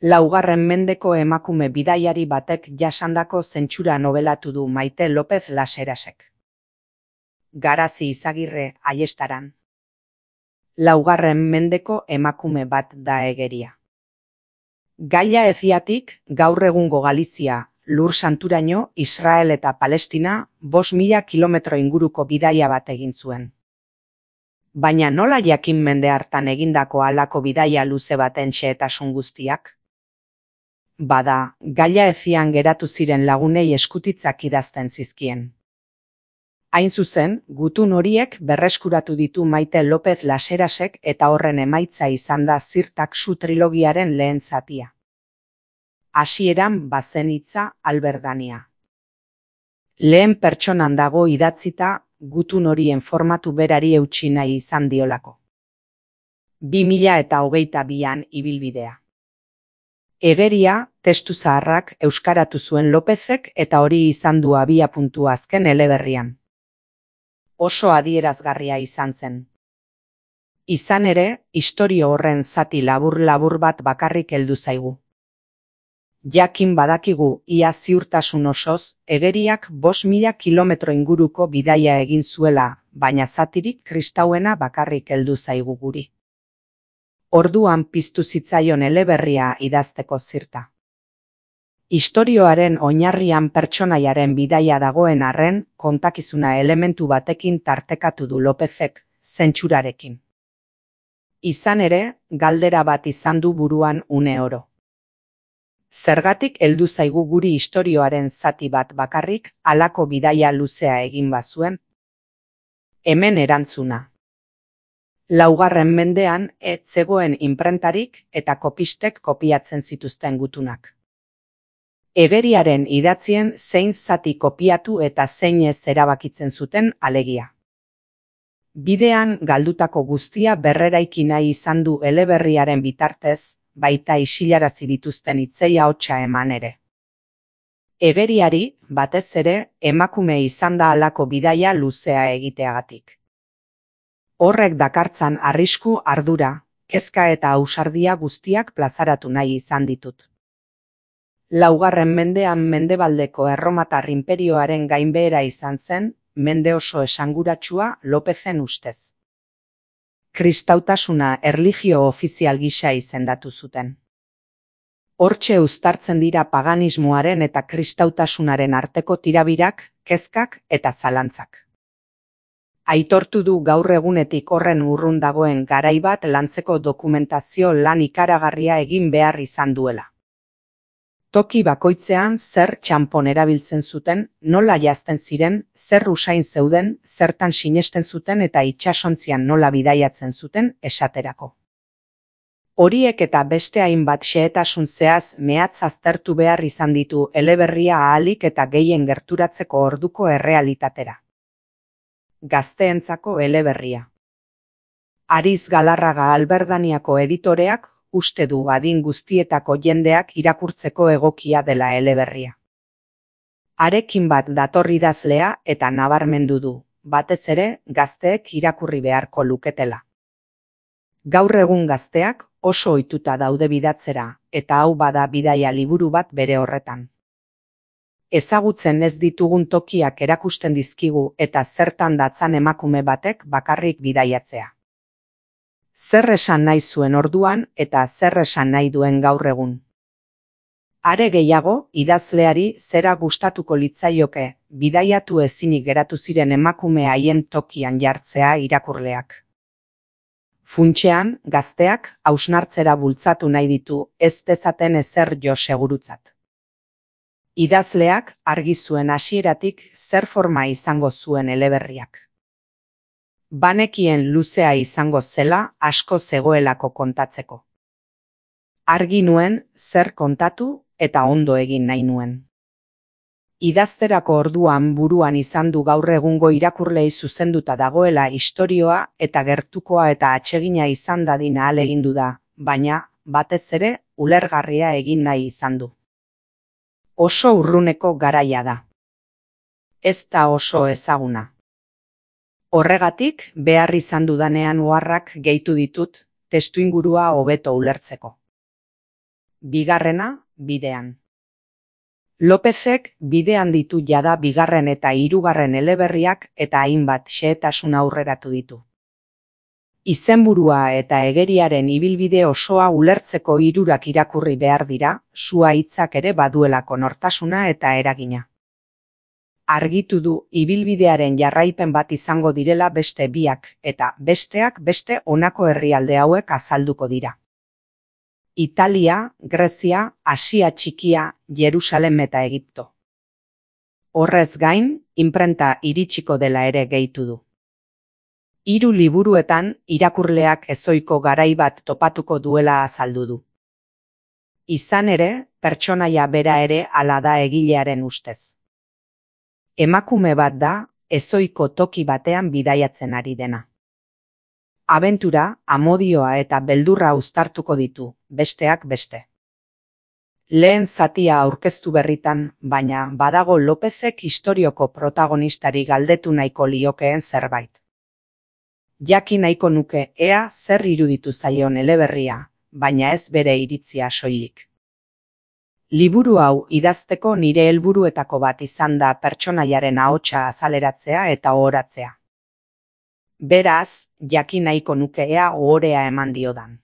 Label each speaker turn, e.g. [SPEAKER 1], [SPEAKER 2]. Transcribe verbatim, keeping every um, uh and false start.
[SPEAKER 1] Laugarren mendeko emakume bidaiari batek jasandako zentsura nobelatu du Maite López Laserasek. Garazi Izagirre, Aiestaran. Laugarren mendeko emakume bat da egeria. Gaia Eziatik, gaur egungo Galizia, Lur Santuraino, Israel eta Palestina, bost mila kilometro inguruko bidaia bat egin zuen. Baina nola jakin mende hartan egindako halako bidaia luze baten xehetasun guztiak? Bada, Gaia Ezian geratu ziren lagunei eskutitzak idazten zizkien. Hain zuzen, gutun horiek berreskuratu ditu Maite López Laserasek eta horren emaitza izan da Zirtaxu trilogiaren lehen zatia. Hasieran bazen hitza Alberdania. Lehen pertsonan dago idatzita gutun horien formatu berari eutsi nahi izan diolako. bi mila eta hogeita bian ibilbidea. Egeria, testu zaharrak euskaratu zuen Lopezek eta hori izan du abiapuntua azken eleberrian. Oso adierazgarria izan zen. Izan ere, istorio horren zati labur-labur bat bakarrik heldu zaigu. Jakin badakigu ia ziurtasun osoz, egeriak bost mila kilometro inguruko bidaia egin zuela, baina zatirik kristauena bakarrik heldu zaigu guri. Orduan piztu zitzaion eleberria idazteko zirta. Istorioaren oinarrian pertsonaiaren bidaia dagoen arren, kontakizuna elementu batekin tartekatu du Lopezek, zentsurarekin. Izan ere, galdera bat izan du buruan une oro. Zergatik heldu zaigu guri istorioaren zati bat bakarrik, halako bidaia luzea egin bazuen? Hemen erantzuna. Laugarren mendean ez zegoen inprentarik eta kopistek kopiatzen zituzten gutunak. Egeriaren idatzien zein zati kopiatu eta zein ez erabakitzen zuten alegia. Bidean galdutako guztia berreraiki nahi izan du eleberriaren bitartez, baita isilarazi dituzten hitzei ahotsa eman ere. Egeriari, batez ere, emakume izan da halako bidaia luzea egiteagatik. Horrek dakartzan arrisku, ardura, kezka eta ausardia guztiak plazaratu nahi izan ditut. Laugarren mendean mendebaldeko erromatar inperioaren gainbehera izan zen, mende oso esanguratsua Lopezen ustez. Kristautasuna erlijio ofizial gisa izendatu zuten. Hortxe uztartzen dira paganismoaren eta kristautasunaren arteko tirabirak, kezkak eta zalantzak. Aitortu du gaur egunetik horren urrun dagoen garai bat lantzeko dokumentazio lan ikaragarria egin behar izan duela. Toki bakoitzean zer txanpon erabiltzen zuten, nola jazten ziren, zer usain zeuden, zertan sinesten zuten eta itsasontzian nola bidaiatzen zuten esaterako. Horiek eta beste hainbat xehetasun zehaz mehatz aztertu behar izan ditu eleberria ahalik eta gehien gerturatzeko orduko errealitatera. Gazteentzako eleberria. Ariz Galarraga Alberdaniako editoreak uste du adin guztietako jendeak irakurtzeko egokia dela eleberria. Harekin bat dator idazlea eta nabarmendu du, batez ere gazteek irakurri beharko luketela. Gaur egun gazteak oso ohituta daude bidatzera, eta hau bada bidaia liburu bat bere horretan. Ezagutzen ez ditugun tokiak erakusten dizkigu eta zertan datzan emakume batek bakarrik bidaiatzea. Zer esan nahi zuen orduan eta zer esan nahi duen gaur egun. Are gehiago, idazleari zera gustatuko litzaioke, bidaiatu ezinik geratu ziren emakume haien tokian jartzea irakurleak. Funtsean, gazteak hausnartzera bultzatu nahi ditu ez dezaten ezer jo segurutzat. Idazleak argi zuen hasieratik zer forma izango zuen eleberriak. Banekien luzea izango zela asko zegoelako kontatzeko. Argi nuen zer kontatu eta ondo egin nahi nuen. Idazterako orduan buruan izan du gaur egungo irakurlei zuzenduta dagoela istorioa eta gertukoa eta atsegina izan dadin ahalegindu da, baina, batez ere, ulergarria egin nahi izan du. Oso urruneko garaia da. Ez da oso ezaguna. Horregatik, behar izan dudanean oharrak gehitu ditut, testuingurua hobeto ulertzeko. Bigarrena, bidean. Lopezek bidean ditu jada bigarren eta hirugarren eleberriak eta hainbat xehetasun aurreratu ditu. Izenburua eta egeriaren ibilbide osoa ulertzeko hirurak irakurri behar dira, sua hitzak ere baduelako nortasuna eta eragina. Argitu du ibilbidearen jarraipen bat izango direla beste biak, eta besteak beste honako herrialde hauek azalduko dira. Italia, Grezia, Asia Txikia, Jerusalem eta Egipto. Horrez gain, inprenta iritsiko dela ere gehitu du. Hiru liburuetan irakurleak ezohiko garai bat topatuko duela azaldu du. Izan ere, pertsonaia bera ere hala da egilearen ustez. Emakume bat da, ezohiko toki batean bidaiatzen ari dena. Abentura, amodioa eta beldurra uztartuko ditu, besteak beste. Lehen zatia aurkeztu berritan, baina badago Lopezek istorioko protagonistari galdetu nahiko liokeen zerbait. Jakin nahiko nuke ea zer iruditu zaion eleberria, baina ez bere iritzia soilik. Liburu hau idazteko nire helburuetako bat izan da pertsonaiaren ahotsa azaleratzea eta ohoratzea. Beraz, jakin nahiko nuke ea ohorea eman diodan.